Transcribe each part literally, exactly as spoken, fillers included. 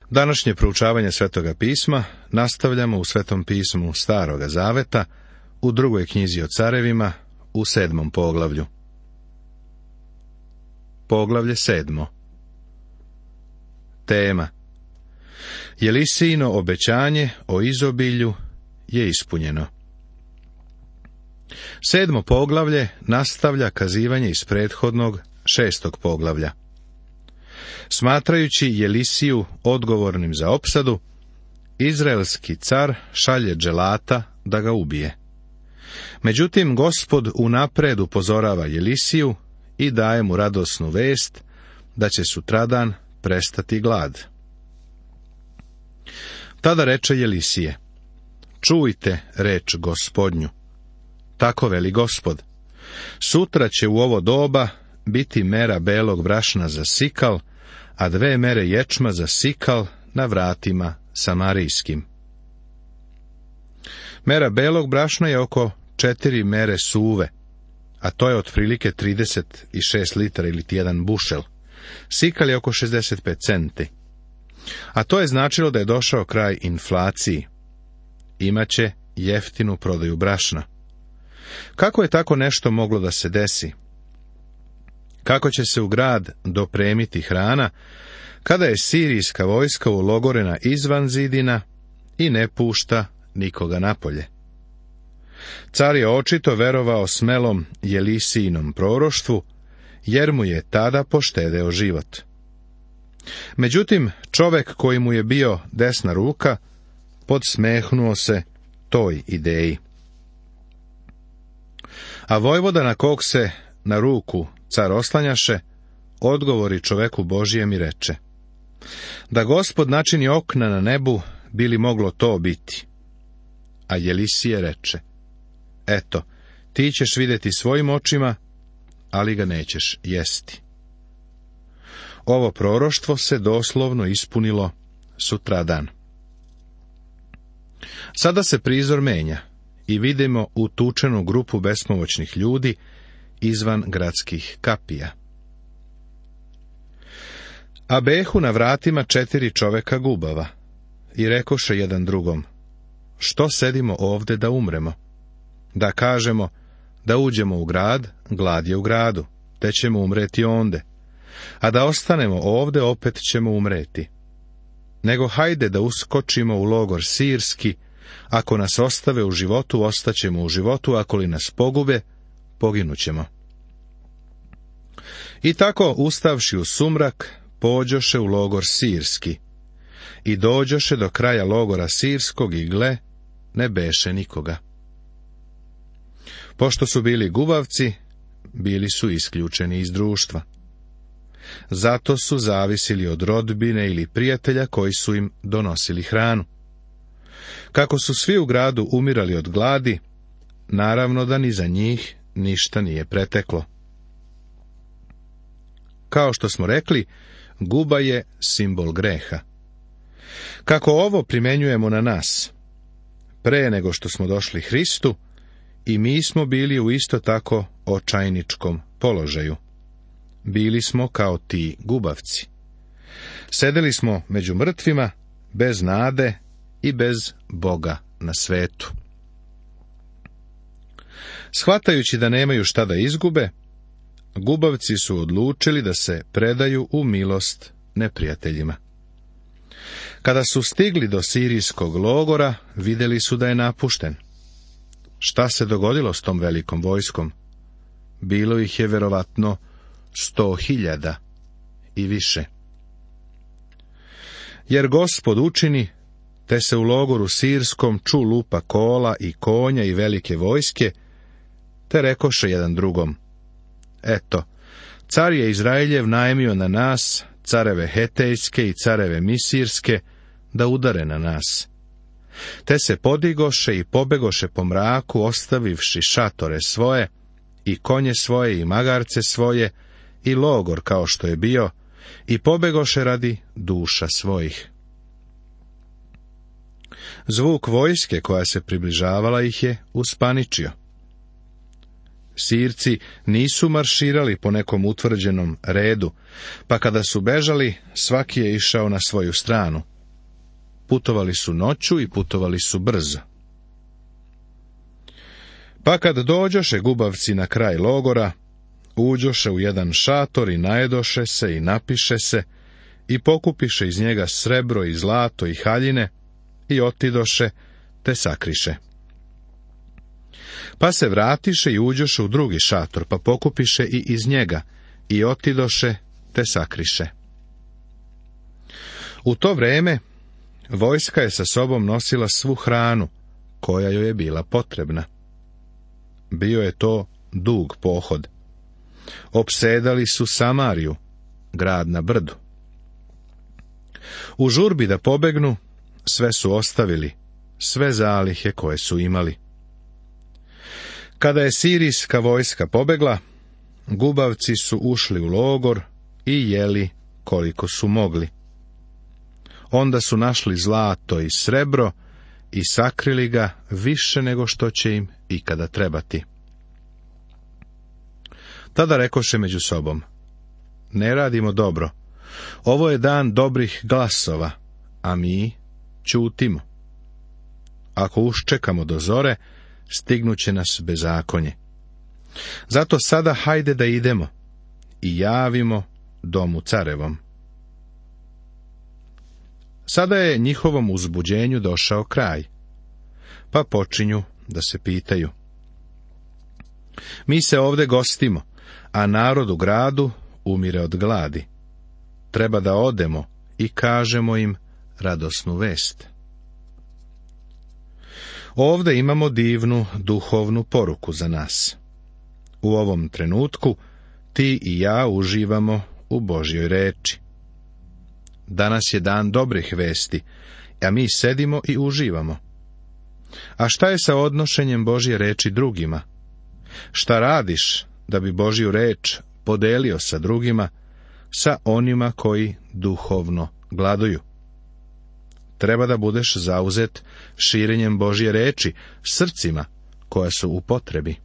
Današnje proučavanje Svetoga pisma nastavljamo u Svetom pismu Staroga zaveta, u drugoj knjizi o carevima, u sedmom poglavlju. Poglavlje sedmo. Tema: Jelisijino obećanje o izobilju je ispunjeno. Sedmo poglavlje nastavlja kazivanje iz prethodnog šestog poglavlja. Smatrajući Jelisiju odgovornim za opsadu, izraelski car šalje dželata da ga ubije. Međutim, Gospod unapred upozorava Jelisiju i daje mu radosnu vest da će sutradan prestati glad. Tada reče Jelisije: čujte reč Gospodnju. Tako veli Gospod: sutra će u ovo doba biti mera belog brašna za sikal, a dve mere ječma za sikal na vratima samarijskim. Mera belog brašna je oko četiri mere suve, a to je otprilike trideset šest litara ili jedan bušel. Sikal je oko šezdeset pet centi. A to je značilo da je došao kraj inflaciji. Imaće jeftinu prodaju brašna. Kako je tako nešto moglo da se desi? Kako će se u grad dopremiti hrana, kada je sirijska vojska ulogorena izvan zidina i ne pušta nikoga napolje? Car je očito verovao smelom Jelisijinom proroštvu, jer mu je tada poštedeo život. Međutim, čovek koji mu je bio desna ruka, podsmehnuo se toj ideji. A vojvoda na kog se na ruku car oslanjaše, odgovori čoveku Božijem i reče: da Gospod načini okna na nebu, bi li moglo to biti? A Jelisije reče: eto, ti ćeš vidjeti svojim očima, ali ga nećeš jesti. Ovo proroštvo se doslovno ispunilo sutradan. Sada se prizor menja i vidimo utučenu grupu bespomoćnih ljudi izvan gradskih kapija. A behu na vratima četiri čoveka gubava i rekoše jedan drugom: što sedimo ovde da umremo? Da kažemo da uđemo u grad, glad je u gradu, te ćemo umreti onde, a da ostanemo ovde, opet ćemo umreti. Nego hajde da uskočimo u logor sirski, ako nas ostave u životu, ostaćemo u životu, ako li nas pogube, poginućemo. I tako, ustavši u sumrak, pođoše u logor sirski i dođoše do kraja logora sirskog i gle, ne beše nikoga. Pošto su bili gubavci, bili su isključeni iz društva. Zato su zavisili od rodbine ili prijatelja koji su im donosili hranu. Kako su svi u gradu umirali od gladi, naravno da ni za njih ništa nije preteklo. Kao što smo rekli, guba je simbol greha. Kako ovo primenjujemo na nas? Pre nego što smo došli Hristu, i mi smo bili u isto tako očajničkom položaju. Bili smo kao ti gubavci. Sedeli smo među mrtvima, bez nade i bez Boga na svetu. Shvatajući da nemaju šta da izgube, gubavci su odlučili da se predaju u milost neprijateljima. Kada su stigli do sirijskog logora, vidjeli su da je napušten. Šta se dogodilo s tom velikom vojskom? Bilo ih je verovatno sto hiljada i više. Jer Gospod učini, te se u logoru sirskom ču lupa kola i konja i velike vojske, te rekoše jedan drugom: eto, car je Izraeljev najmio na nas, careve hetejske i careve misirske, da udare na nas. Te se podigoše i pobegoše po mraku, ostavivši šatore svoje, i konje svoje, i magarce svoje, i logor kao što je bio, i pobegoše radi duša svojih. Zvuk vojske koja se približavala ih je uspaničio. Sirci nisu marširali po nekom utvrđenom redu, pa kada su bežali, svaki je išao na svoju stranu, putovali su noću i putovali su brzo. Pa kad dođoše gubavci na kraj logora, uđoše u jedan šator i najedoše se i napiše se i pokupiše iz njega srebro i zlato i haljine i otidoše te sakriše. Pa se vratiše i uđoše u drugi šator, pa pokupiše i iz njega i otidoše te sakriše. U to vreme vojska je sa sobom nosila svu hranu koja joj je bila potrebna. Bio je to dug pohod. Opsedali su Samariju, grad na brdu. U žurbi da pobegnu, sve su ostavili, sve zalihe koje su imali. Kada je sirijska vojska pobegla, gubavci su ušli u logor i jeli koliko su mogli. Onda su našli zlato i srebro i sakrili ga više nego što će im ikada trebati. Tada rekoše među sobom: ne radimo dobro, ovo je dan dobrih glasova, a mi ćutimo. Ako uščekamo do zore, stignuće nas bezakonje. Zato sada hajde da idemo i javimo domu carevom. Sada je njihovom uzbuđenju došao kraj, pa počinju da se pitaju. Mi se ovde gostimo, a narod u gradu umire od gladi. Treba da odemo i kažemo im radosnu vest. Ovde imamo divnu duhovnu poruku za nas. U ovom trenutku ti i ja uživamo u Božjoj reči. Danas je dan dobrih vesti, a mi sedimo i uživamo. A šta je sa odnošenjem Božje reči drugima? Šta radiš da bi Božju reč podelio sa drugima, sa onima koji duhovno gladuju? Treba da budeš zauzet širenjem Božje reči srcima koja su u potrebi.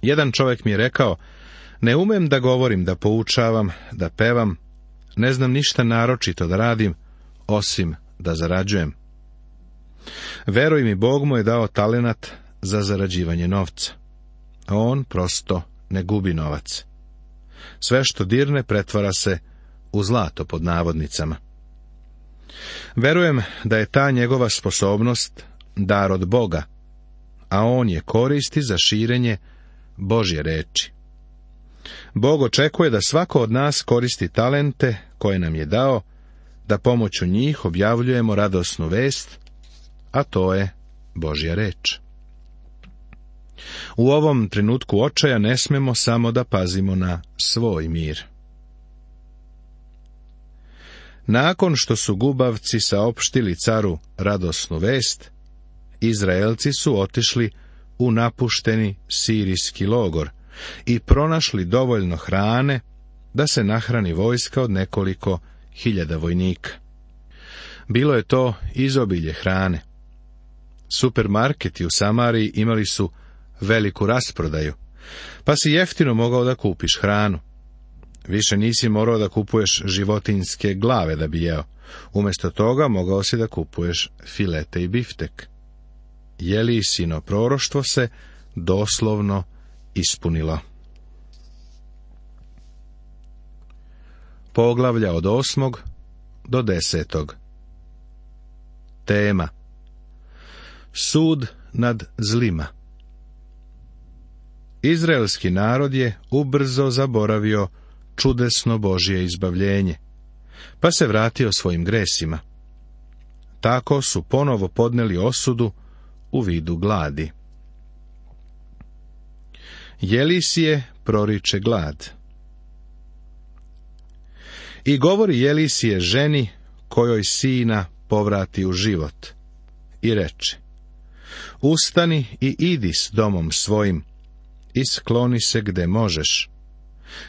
Jedan čovjek mi je rekao: ne umem da govorim, da poučavam, da pevam, ne znam ništa naročito da radim, osim da zarađujem. Veruj mi, Bog mu je dao talenat za zarađivanje novca. A on prosto ne gubi novac. Sve što dirne pretvara se u zlato pod navodnicama. Verujem da je ta njegova sposobnost dar od Boga, a on je koristi za širenje Božje reči. Bog očekuje da svako od nas koristi talente koje nam je dao, da pomoću njih objavljujemo radosnu vest, a to je Božja reč. U ovom trenutku očaja ne smemo samo da pazimo na svoj mir. Nakon što su gubavci saopštili caru radosnu vest, Izraelci su otišli u napušteni sirijski logor i pronašli dovoljno hrane da se nahrani vojska od nekoliko hiljada vojnika. Bilo je to izobilje hrane. Supermarketi u Samariji imali su veliku rasprodaju, pa si jeftino mogao da kupiš hranu. Više nisi morao da kupuješ životinjske glave da bi jeo. Umjesto toga mogao si da kupuješ filete i biftek. Jelisino proroštvo se doslovno ispunilo. Poglavlja od osmog do desetog. Tema: sud nad zlima. Izraelski narod je ubrzo zaboravio čudesno Božje izbavljenje, pa se vratio svojim gresima. Tako su ponovo podneli osudu u vidu gladi. Jelisije proriče glad. I govori Jelisije ženi kojoj sina povrati u život, i reče: ustani i idi s domom svojim, i skloni se gde možeš,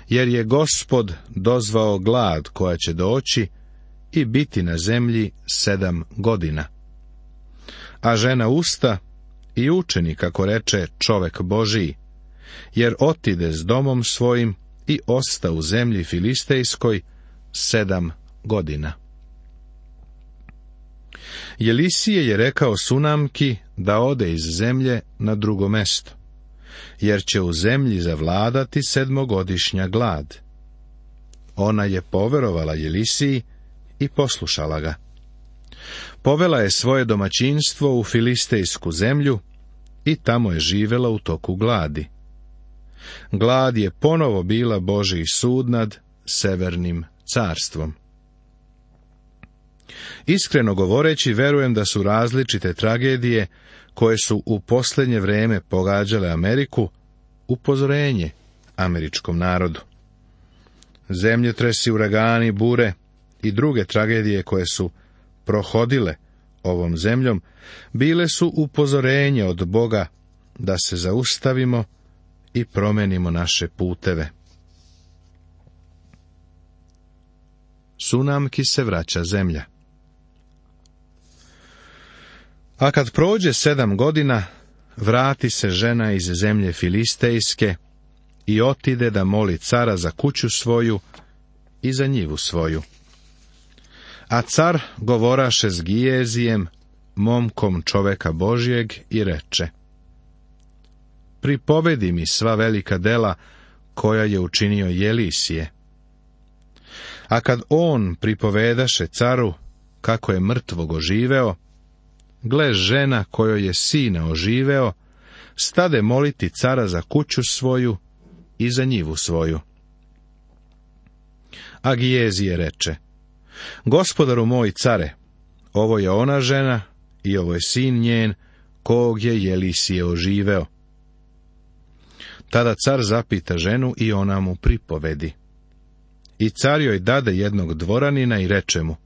jer je Gospod dozvao glad koja će doći i biti na zemlji sedam godina. A žena usta i učini, kako reče čovek Božiji, jer otide s domom svojim i osta u zemlji filistejskoj sedam godina. Jelisije je rekao Sunamki da ode iz zemlje na drugo mesto, jer će u zemlji zavladati sedmogodišnja glad. Ona je poverovala Jelisiji i poslušala ga. Povela je svoje domaćinstvo u filistejsku zemlju i tamo je živela u toku gladi. Glad je ponovo bila Božji sud nad severnim carstvom. Iskreno govoreći, verujem da su različite tragedije koje su u posljednje vrijeme pogađale Ameriku upozorenje američkom narodu. Zemljotresi, uragani, bure i druge tragedije koje su prohodile ovom zemljom bile su upozorenje od Boga da se zaustavimo i promenimo naše puteve. Sunamki se vraća zemlja. A kad prođe sedam godina, vrati se žena iz zemlje filistejske i otide da moli cara za kuću svoju i za njivu svoju. A car govoraše s Gijezijem, momkom čoveka Božjeg, i reče: pripovedi mi sva velika dela koja je učinio Jelisije. A kad on pripovedaše caru kako je mrtvog oživeo, gle, žena kojoj je sina oživeo, stade moliti cara za kuću svoju i za njivu svoju. A Gijezije reče: gospodaru moj care, ovo je ona žena i ovo je sin njen, kog je Jelisije oživeo. Tada car zapita ženu i ona mu pripovedi. I car joj dade jednog dvoranina i reče mu: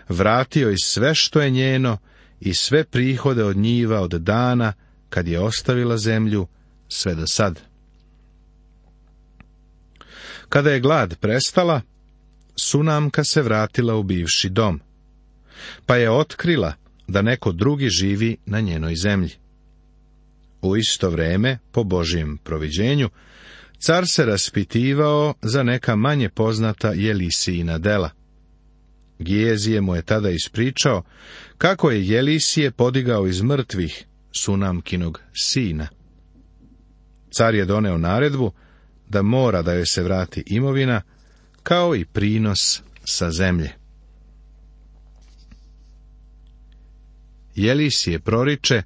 vrati joj sve što je njeno i sve prihode od njiva od dana kad je ostavila zemlju sve do sad. Kada je glad prestala, Sunamka se vratila u bivši dom, pa je otkrila da neko drugi živi na njenoj zemlji. U isto vrijeme, po Božjem proviđenju, car se raspitivao za neka manje poznata Jelisijina dela. Gijezije mu je tada ispričao kako je Jelisije podigao iz mrtvih Sunamkinog sina. Car je doneo naredbu da mora da joj se vrati imovina, kao i prinos sa zemlje. Jelisije proriče,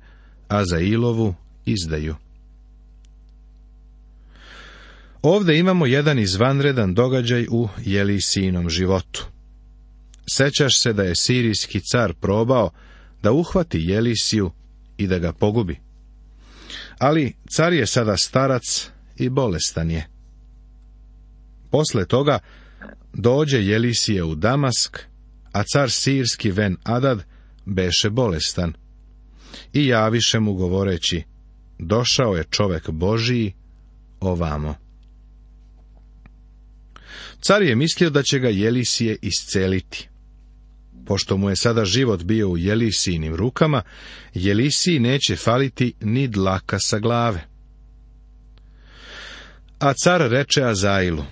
a za Ilovu izdaju. Ovdje imamo jedan izvanredan događaj u Jelisijinom životu. Sećaš se da je sirijski car probao da uhvati Jelisiju i da ga pogubi. Ali car je sada starac i bolestan je. Posle toga dođe Jelisije u Damask, a car sirski Ben Adad beše bolestan. I javiše mu govoreći: došao je čovek Božiji ovamo. Car je mislio da će ga Jelisije isceliti. Pošto mu je sada život bio u Jelisijinim rukama, Jelisiji neće faliti ni dlaka sa glave. A car reče Azailu: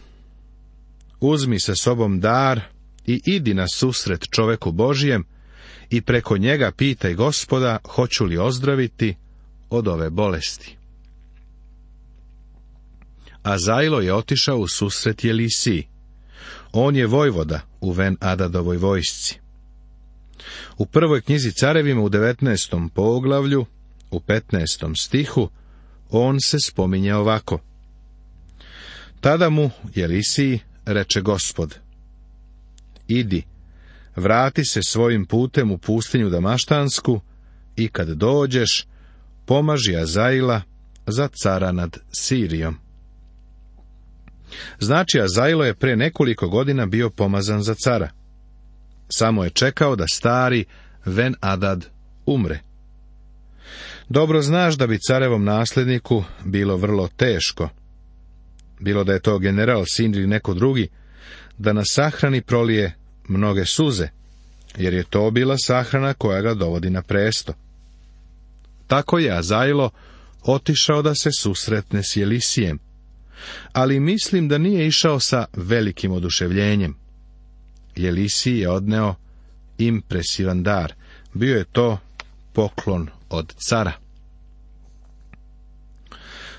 uzmi sa sobom dar i idi na susret čoveku Božijem i preko njega pitaj Gospoda hoću li ozdraviti od ove bolesti. Azailo je otišao u susret Jelisiji. On je vojvoda u Ben Adadovoj vojsci. U prvoj knjizi Carevima u devetnaestom poglavlju, u petnaestom stihu, on se spominje ovako: tada mu Jelisiji reče Gospod: idi, vrati se svojim putem u pustinju Damaštansku i kad dođeš, pomaži Azaila za cara nad Sirijom. Znači, Azailo je pre nekoliko godina bio pomazan za cara. Samo je čekao da stari Ben Adad umre. Dobro znaš da bi carevom nasljedniku bilo vrlo teško, bilo da je to general, sin ili neko drugi, da na sahrani prolije mnoge suze, jer je to bila sahrana koja ga dovodi na presto. Tako je Azailo otišao da se susretne s Jelisijem, ali mislim da nije išao sa velikim oduševljenjem. Jelisiji je odneo impresivan dar, bio je to poklon od cara.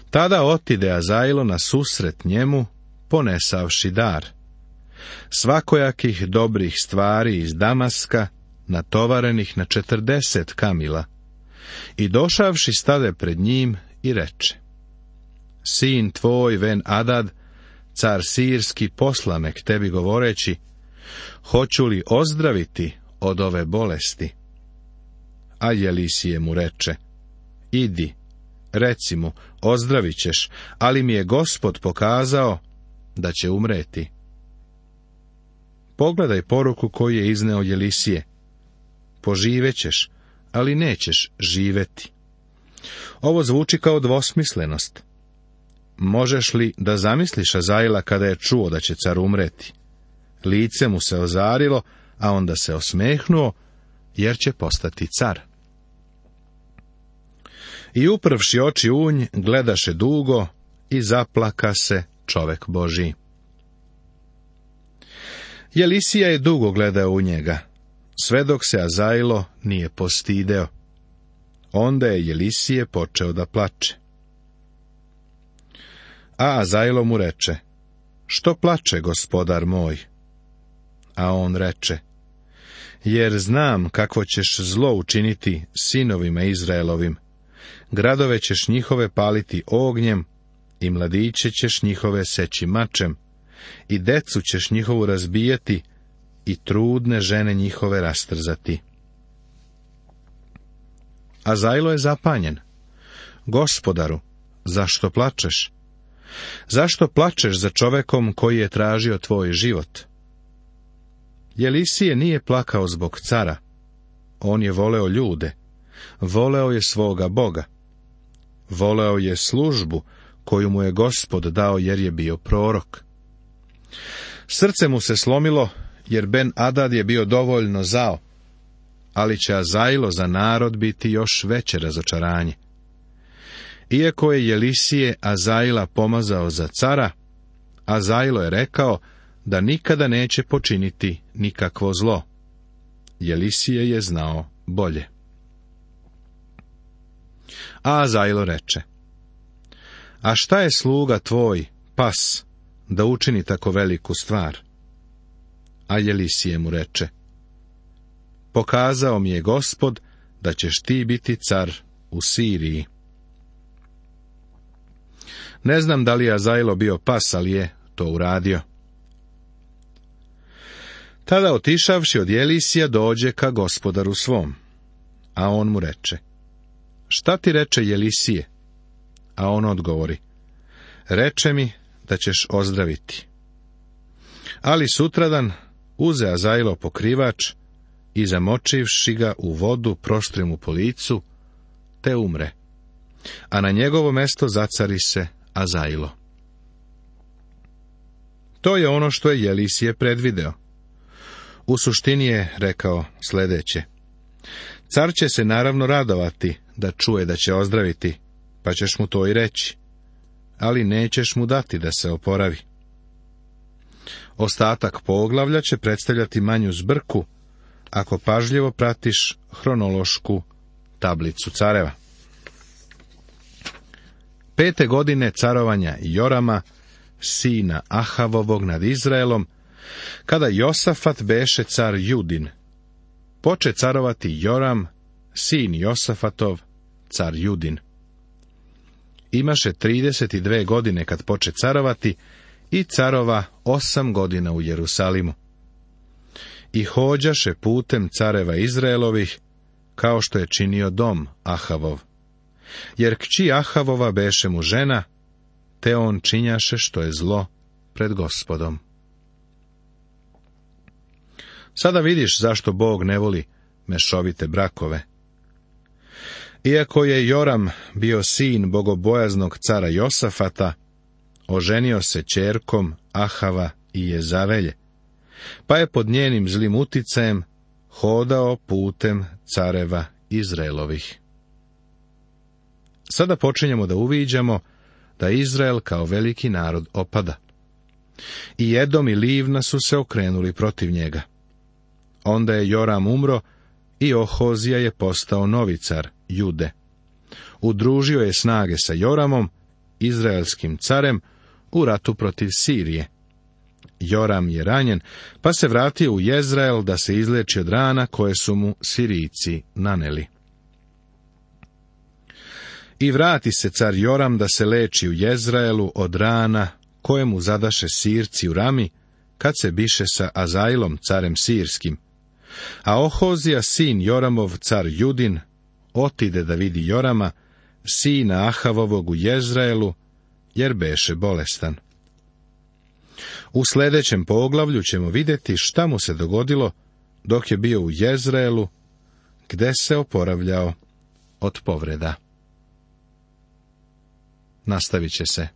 Tada otide Azajlo na susret njemu, ponesavši dar, svakojakih dobrih stvari iz Damaska, natovarenih na četrdeset kamila, i došavši stade pred njim i reče: Sin tvoj Ben Adad, car sirski, posla me k tebi govoreći: hoću li ozdraviti od ove bolesti? A Jelisije mu reče: idi, reci mu, ozdravit ćeš, ali mi je Gospod pokazao da će umreti. Pogledaj poruku koju je izneo Jelisije: poživećeš, ali nećeš živeti. Ovo zvuči kao dvosmislenost. Možeš li da zamisliš Azajla kada je čuo da će car umreti? Lice mu se ozarilo, a onda se osmehnuo, jer će postati car. I upravši oči u nj, gledaše dugo i zaplaka se čovek Božji. Jelisija je dugo gledao u njega, sve dok se Azajlo nije postideo. Onda je Jelisije počeo da plače. A Azajlo mu reče: što plače, gospodar moj? A on reče: jer znam kakvo ćeš zlo učiniti sinovima Izraelovim. Gradove ćeš njihove paliti ognjem, i mladiće ćeš njihove seći mačem, i decu ćeš njihovu razbijati, i trudne žene njihove rastrzati. Azajlo je zapanjen. Gospodaru, zašto plačeš? Zašto plačeš za čovekom koji je tražio tvoj život? Jelisije nije plakao zbog cara. On je voleo ljude. Voleo je svoga Boga. Voleo je službu koju mu je Gospod dao jer je bio prorok. Srce mu se slomilo jer Ben Adad je bio dovoljno zao, ali će Azajlo za narod biti još veće razočaranje. Iako je Jelisije Azajla pomazao za cara, Azajlo je rekao da nikada neće počiniti nikakvo zlo. Jelisije je znao bolje. A Azajlo reče: a šta je sluga tvoj, pas, da učini tako veliku stvar? A Jelisije mu reče: pokazao mi je Gospod da ćeš ti biti car u Siriji. Ne znam da li je Azajlo bio pas, ali je to uradio. Tada otišavši od Jelisija dođe ka gospodaru svom, a on mu reče: šta ti reče Jelisije? A on odgovori: reče mi da ćeš ozdraviti. Ali sutradan uze Azajlo pokrivač i zamočivši ga u vodu proštri mu po licu, te umre, a na njegovo mesto zacari se Azajlo. To je ono što je Jelisije predvideo. U suštini je rekao sljedeće: car će se naravno radovati da čuje da će ozdraviti, pa ćeš mu to i reći, ali nećeš mu dati da se oporavi. Ostatak poglavlja će predstavljati manju zbrku, ako pažljivo pratiš hronološku tablicu careva. Pete godine carovanja Jorama, sina Ahavovog nad Izraelom, kada Josafat beše car Judin, poče carovati Joram, sin Josafatov, car Judin. Imaše trideset dve godine kad poče carovati i carova osam godina u Jerusalimu. I hođaše putem careva Izraelovih, kao što je činio dom Ahavov. Jer kći Ahavova beše mu žena, te on činjaše što je zlo pred Gospodom. Sada vidiš zašto Bog ne voli mešovite brakove. Iako je Joram bio sin bogobojaznog cara Josafata, oženio se ćerkom Ahava i Jezavelje, pa je pod njenim zlim uticajem hodao putem careva Izraelovih. Sada počinjemo da uviđamo da Izrael kao veliki narod opada. I Edom i Livna su se okrenuli protiv njega. Onda je Joram umro i Ohozija je postao novi car Jude. Udružio je snage sa Joramom, izraelskim carem, u ratu protiv Sirije. Joram je ranjen, pa se vratio u Jezrael da se izleči od rana koje su mu Sirijci naneli. I vrati se car Joram da se leči u Jezraelu od rana koje mu zadaše Sirci u Rami, kad se biše sa Azajlom, carem sirskim. A Ohozija, sin Joramov, car Judin, otide da vidi Jorama, sina Ahavovog u Jezraelu, jer beše bolestan. U sljedećem poglavlju ćemo vidjeti šta mu se dogodilo dok je bio u Jezraelu, gde se oporavljao od povreda. Nastavit će se